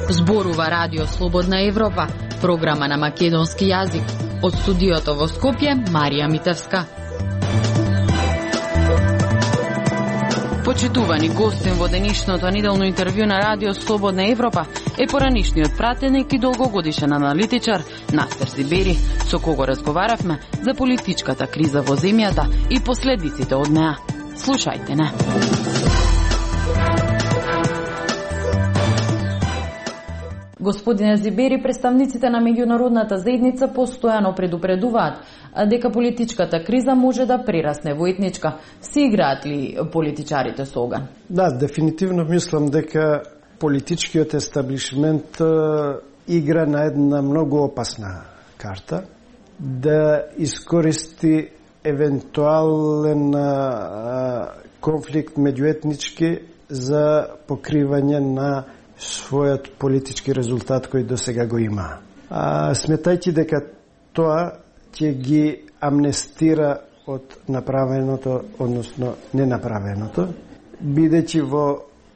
Зборува Радио Слободна Европа, програма на македонски јазик. Од студиото во Скопје, Марија Митевска. Почитувани гостин во денешното неделно интервју на Радио Слободна Европа е поранишниот пратеник и долгогодишен аналитичар Настер Зибери, со кого разговаравме за политичката криза во земјата и последиците од неа. Слушајте не. Господине Зибери, представниците на меѓународната заедница постојано предупредуваат дека политичката криза може да прерасне во етничка. Си играат ли политичарите со оган? Да, дефинитивно мислам дека политичкиот естаблишмент игра на една многу опасна карта да искористи евентуален конфликт меѓуетнички за покривање на својот политички резултат кој до сега го има. Сметајќи дека тоа ќе ги амнестира од направеното, односно ненаправеното, бидејќи во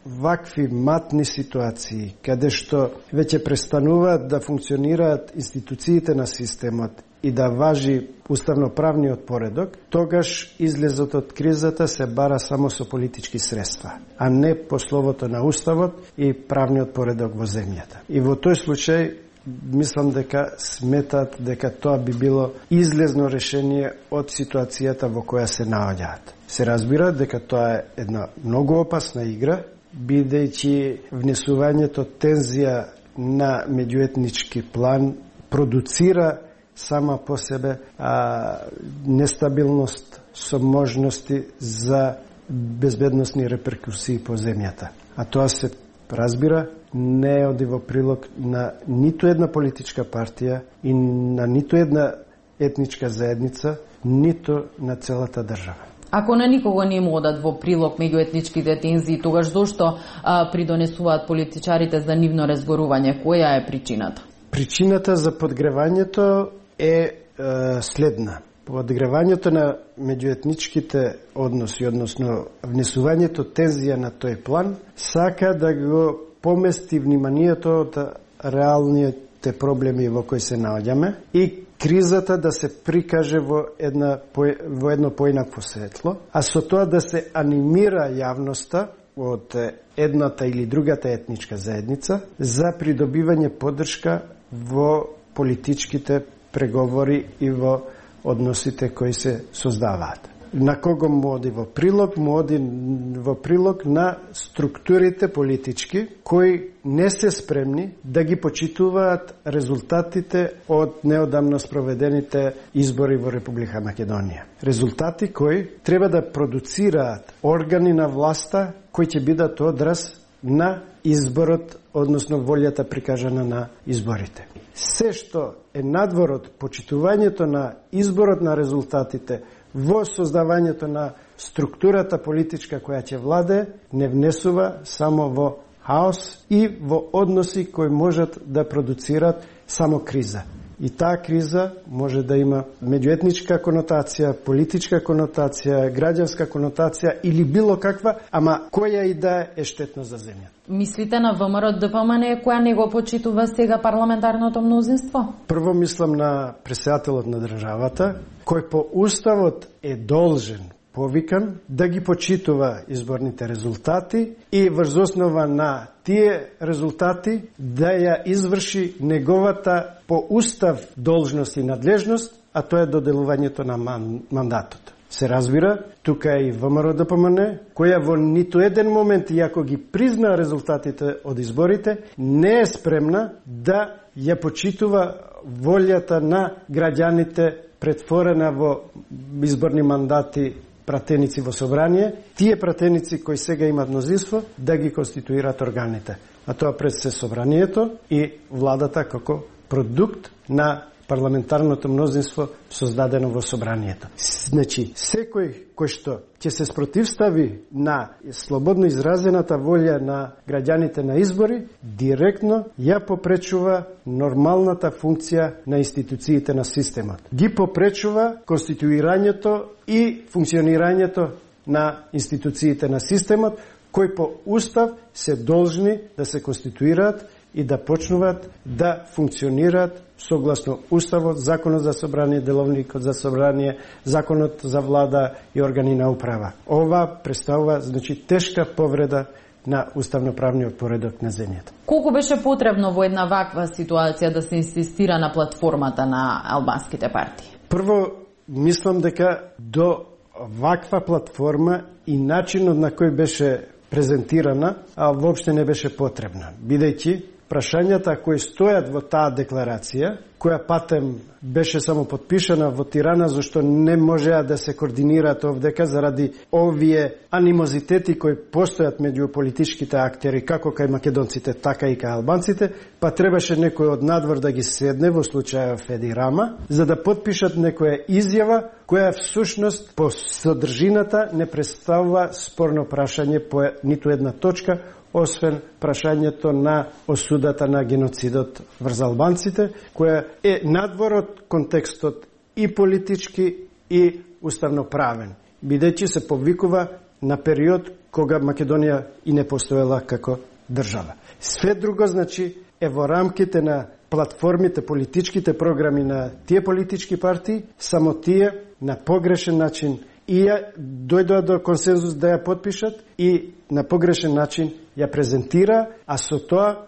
вакви матни ситуации, каде што веќе престануваат да функционираат институциите на системот и да важи уставноправниот поредок, тогаш излезот од кризата се бара само со политички средства, а не по словото на уставот и правниот поредок во земјата. И во тој случај мислам дека сметат дека тоа би било излезно решение од ситуацијата во која се наоѓаат. Се разбира дека тоа е една многу опасна игра, бидејќи внесувањето тензија на меѓуетнички план продуцира сама по себе нестабилност со можности за безбедносни реперкусии по земјата. А тоа се разбира не оди во прилог на ниту една политичка партија и на ниту една етничка заедница, ниту на целата држава. Ако на никого не му одат во прилог меѓуетничките тензии, тогаш зошто придонесуваат политичарите за нивно разгорување? Која е причината? Причината за подгревањето е следна. Подгревањето на меѓуетничките односи, односно внесувањето тензија на тој план, сака да го помести вниманието од реалните проблеми во кои се наоѓаме и кризата да се прикаже во едно поинакво светло, а со тоа да се анимира јавноста од едната или другата етничка заедница за придобивање поддршка во политичките преговори и во односите кои се создаваат. На кого му оди во прилог? Му оди во прилог на структурите политички кои не се спремни да ги почитуваат резултатите од неодамно спроведените избори во Република Македонија. Резултати кои треба да продуцираат органи на власта кои ќе бидат одраз на изборот, односно волјата прикажана на изборите. Се што е надвор од почитувањето на изборот на резултатите во создавањето на структурата политичка која ќе владе, не внесува само во хаос и во односи кои можат да продуцират само криза. И таа криза може да има меѓуетничка конотација, политичка конотација, граѓанска конотација или било каква, ама која и да е штетно за земјата. Мислите на ВМРО-ДПМН која не го почитува сега парламентарното мнозинство? Прво мислам на претседателот на државата, кој по уставот е должен, повикан, да ги почитува изборните резултати и врз основа на тие резултати да ја изврши неговата по устав должност и надлежност, а тоа е доделувањето на мандатот. Се разбира, тука е и ВМРО-ДПМН, која во ниту еден момент, иако ги призна резултатите од изборите, не е спремна да ја почитува волјата на граѓаните претворена во изборни мандати пратеници во собрание, тие пратеници кои сега имат мнозинство, да ги конституират органите. А тоа пред се собранието и владата како продукт на парламентарното мнозинство создадено во собранието. Значи, секој кој што ќе се спротивстави на слободно изразената волја на граѓаните на избори, директно ја попречува нормалната функција на институциите на системот. Ги попречува конституирањето и функционирањето на институциите на системот, кои по устав се должни да се конституираат и да почнуваат да функционираат согласно уставот, законот за собрание, деловникот за собрание, законот за влада и органи на управа. Ова представува, значи, тешка повреда на уставноправниот поредок на земјата. Колку беше потребно во една ваква ситуација да се инсистира на платформата на албанските партии? Прво, мислам дека до ваква платформа и начинот на кој беше презентирана, а воопште не беше потребна, бидејќи прашањата кои стојат во таа декларација, која патем беше само подпишана во Тирана, зашто не можеа да се координираат овдека заради овие анимозитети кои постојат меѓу политичките актери, како кај македонците, така и кај албанците, па требаше некој од надвор да ги седне, во случајов Еди Рама, за да подпишат некоја изјава, која всушност по содржината не представува спорно прашање по ниту една точка, освен прашањето на осудата на геноцидот врз албанците, која е надвор од контекстот и политички и уставноправен, бидејќи се повикува на период кога Македонија и не постоела како држава. Све друго, значи, е во рамките на платформите, политичките програми на тие политички партии, само тие на погрешен начин и ја дојдоа до консензус да ја подпишат и на погрешен начин ја презентира, а со тоа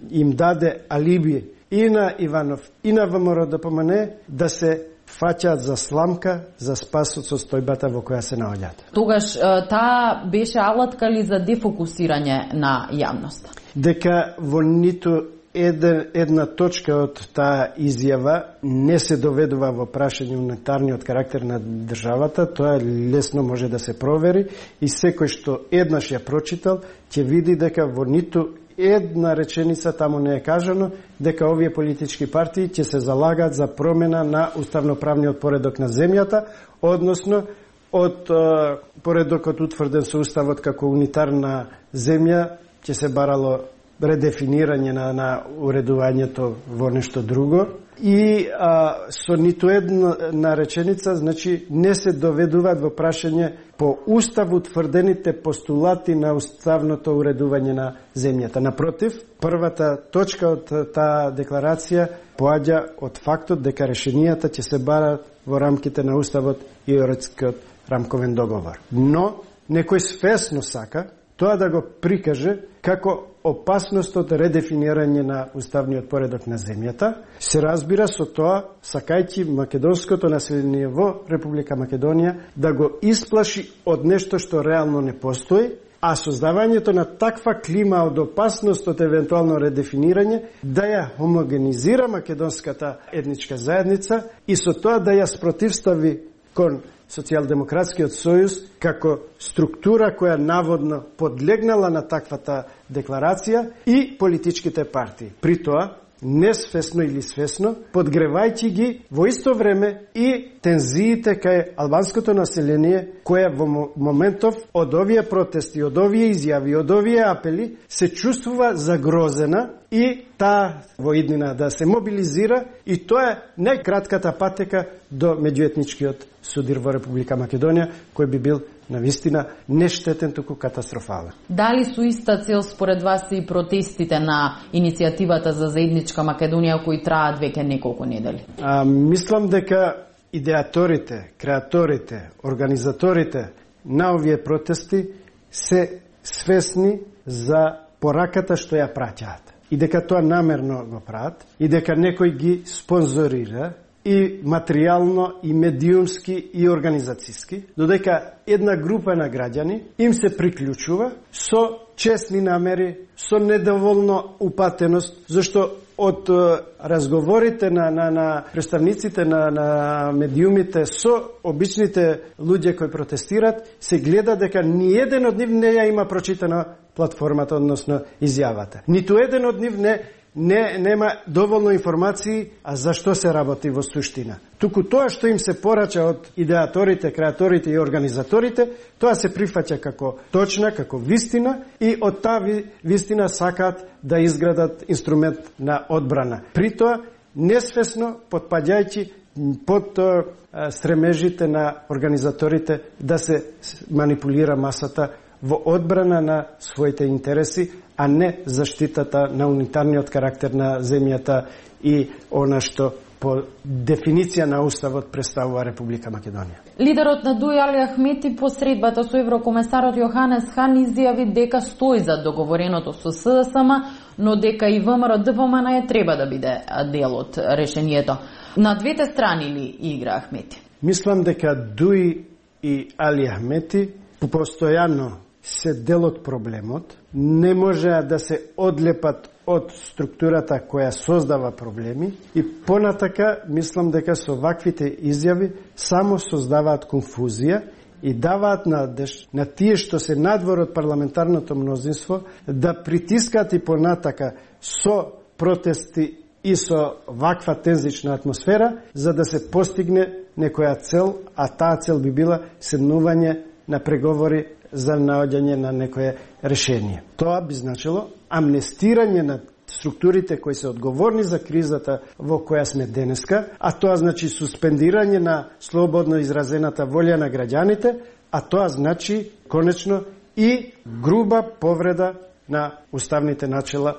им даде алиби и на Иванов и на ВМРО ДПМН да се фаќаат за сламка за спас од состојбата во која се наоѓаат. Тогаш таа беше алатка ли за дефокусирање на јавноста? Дека во ниту една точка од таа изјава не се доведува во прашање унитарниот карактер на државата, тоа лесно може да се провери и секој што еднаш ја прочитал ќе види дека во ниту една реченица таму не е кажано дека овие политички партии ќе се залагаат за промена на уставноправниот поредок на земјата, односно од поредокот утврден со уставот како унитарна земја ќе се барало редефинирање на уредувањето во нешто друго и со ниту една реченица, значи, не се доведуваат во прашање по устав утврдените постулати на уставното уредување на земјата. Напротив, првата точка од таа декларација поаѓа од фактот дека решенијата ќе се барат во рамките на уставот и Охридскиот рамковен договор. Но некој свесно сака тоа да го прикаже како опасност од редефинирање на уставниот поредок на земјата, се разбира со тоа сакајќи македонското население во Република Македонија да го исплаши од нешто што реално не постои, а создавањето на таква клима од опасност од евентуално редефинирање да ја хомогенизира македонската етничка заедница и со тоа да ја спротивстави кон Социјалдемократскиот сојуз како структура која наводно подлегнала на таквата декларација и политичките партии. При тоа, несвесно или свесно, подгревајќи ги во исто време и тензиите кај албанското население, која во моментов од овие протести, од овие изјави, од овие апели, се чувствува загрозена и таа во иднина да се мобилизира и тоа е најкратката патека до меѓуетничкиот судир во Република Македонија, кој би бил навистина не штетен, туку катастрофален. Дали со иста цел според вас и протестите на иницијативата за заедничка Македонија кои траат веќе неколку недели? Мислам дека идеаторите, креаторите, организаторите на овие протести се свесни за пораката што ја праќаат и дека тоа намерно го прават и дека некој ги спонзорира и материјално, и медиумски, и организацијски, додека една група на граѓани им се приклучува со честни намери, со недоволно упатеност, зашто од разговорите на представниците на медиумите со обичните луѓе кои протестират, се гледа дека ни еден од нив не ја има прочитана платформата, односно изјавата. Ниту еден од нив нема доволно информации за што се работи во суштина. Туку тоа што им се порача од идеаторите, креаторите и организаторите, тоа се прифаќа како точна, како вистина и од таа вистина сакаат да изградат инструмент на одбрана. При тоа несвесно потпаѓајќи под стремежите на организаторите да се манипулира масата во одбрана на своите интереси, а не заштитата на унитарниот карактер на земјата и она што по дефиниција на Уставот представува Република Македонија. Лидерот на ДУИ Али Ахмети по средбата со еврокомесарот Јоханес Хан изјави дека стои за договореното со СДСМ, но дека и ВМРО ДПМН е треба да биде дел од решението. На двете страни ли игра Ахмети? Мислам дека ДУИ и Али Ахмети постојано се дел од проблемот, не можеа да се одлепат од структурата која создава проблеми и понатака мислам дека со ваквите изјави само создаваат конфузија и даваат надеж на тие што се надвор од парламентарното мнозинство да притискаат и понатака со протести и со ваква тензична атмосфера за да се постигне некоја цел, а таа цел би била седнување на преговори за наоѓање на некое решение. Тоа би значило амнестирање на структурите кои се одговорни за кризата во која сме денеска, а тоа значи суспендирање на слободно изразената волја на граѓаните, а тоа значи конечно и груба повреда на уставните начела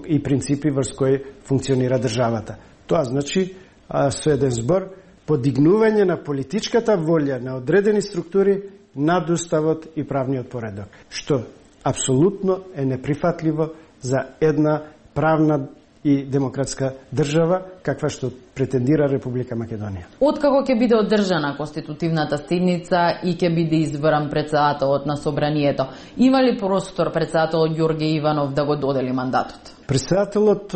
и принципи врз кои функционира државата. Тоа значи со еден збор подигнување на политичката волја на одредени структури над уставот и правниот поредок, што апсолутно е неприфатливо за една правна и демократска држава, каква што претендира Република Македонија. Откако ќе биде одржана конститутивната седница и ќе биде избран претседателот на собранието, има ли простор претседателот Ѓорѓе Иванов да го додели мандатот? Претседателот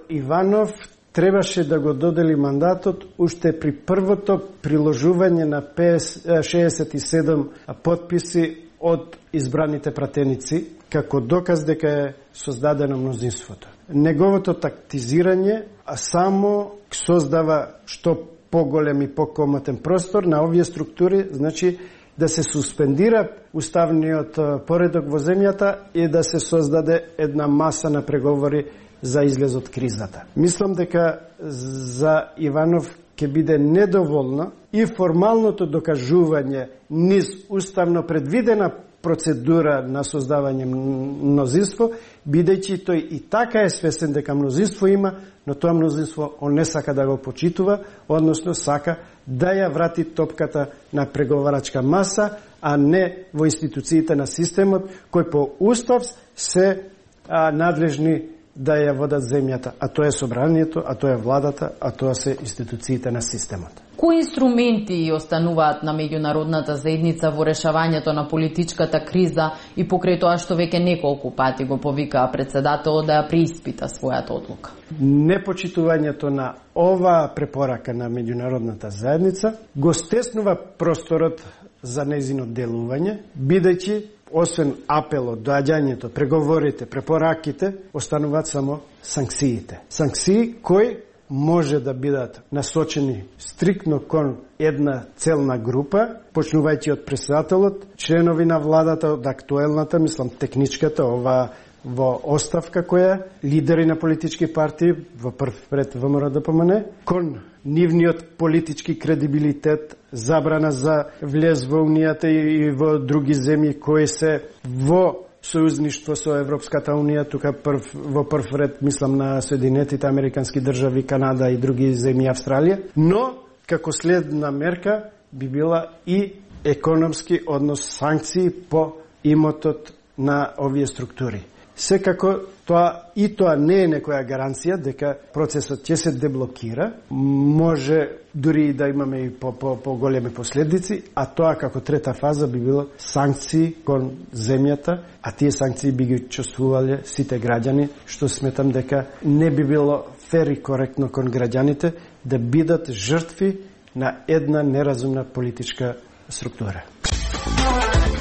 Иванов требаше да го додели мандатот уште при првото приложување на 67 подписи од избраните пратеници, како доказ дека е создадено мнозинството. Неговото тактизирање само создава што поголем и покомотен простор на овие структури, значи да се суспендира уставниот поредок во земјата и да се создаде една маса на преговори за излез од кризата. Мислам дека за Иванов ќе биде недоволно и формалното докажување низ уставно предвидена процедура на создавање мнозинство, бидејќи тој и така е свесен дека мнозинство има, но тоа мнозинство он не сака да го почитува, односно сака да ја врати топката на преговарачка маса, а не во институциите на системот, кој по устав се надлежни да ја водат земјата, а тоа е собранието, а тоа е владата, а тоа се институциите на системот. Кои инструменти остануваат на меѓународната заедница во решавањето на политичката криза и покрај тоа што веќе неколку пати го повикаа претседателот да ја преиспита својата одлука? Непочитувањето на оваа препорака на меѓународната заедница го стеснува просторот за нејзино делување, бидејќи освен апелот, доаѓањето, преговорите, препораките, остануваат само санкциите. Санкции кои може да бидат насочени стриктно кон една целна група, почнувајќи од претседателот, членови на владата од актуелната, мислам техничката, ова во оставка која, лидери на политички партии, во прв ред ВМРО ДПМН, кон нивниот политички кредибилитет, забрана за влез во Унијата и во други земји кои се во сојузништво со Европската Унија, тука во прв ред мислам на Соединетите Американски држави, Канада и други земји, Австралија, но како следна мерка би била и економски, однос санкции по имотот на овие структури. Секако тоа не е некоја гаранција дека процесот ќе се деблокира, може дури и да имаме и по големи последици, а тоа како трета фаза би било санкции кон земјата, а тие санкции би ги чувствувале сите граѓани, што сметам дека не би било фер и коректно кон граѓаните да бидат жртви на една неразумна политичка структура.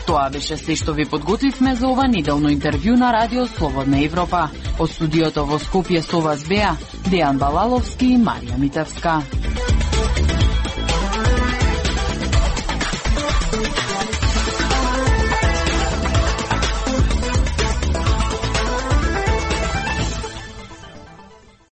Тоа беше се што ви подготвивме за ова неделно интервју на Радио Слободна Европа. Од студиото во Скопје со вас беа Дејан Балаловски и Марија Митевска.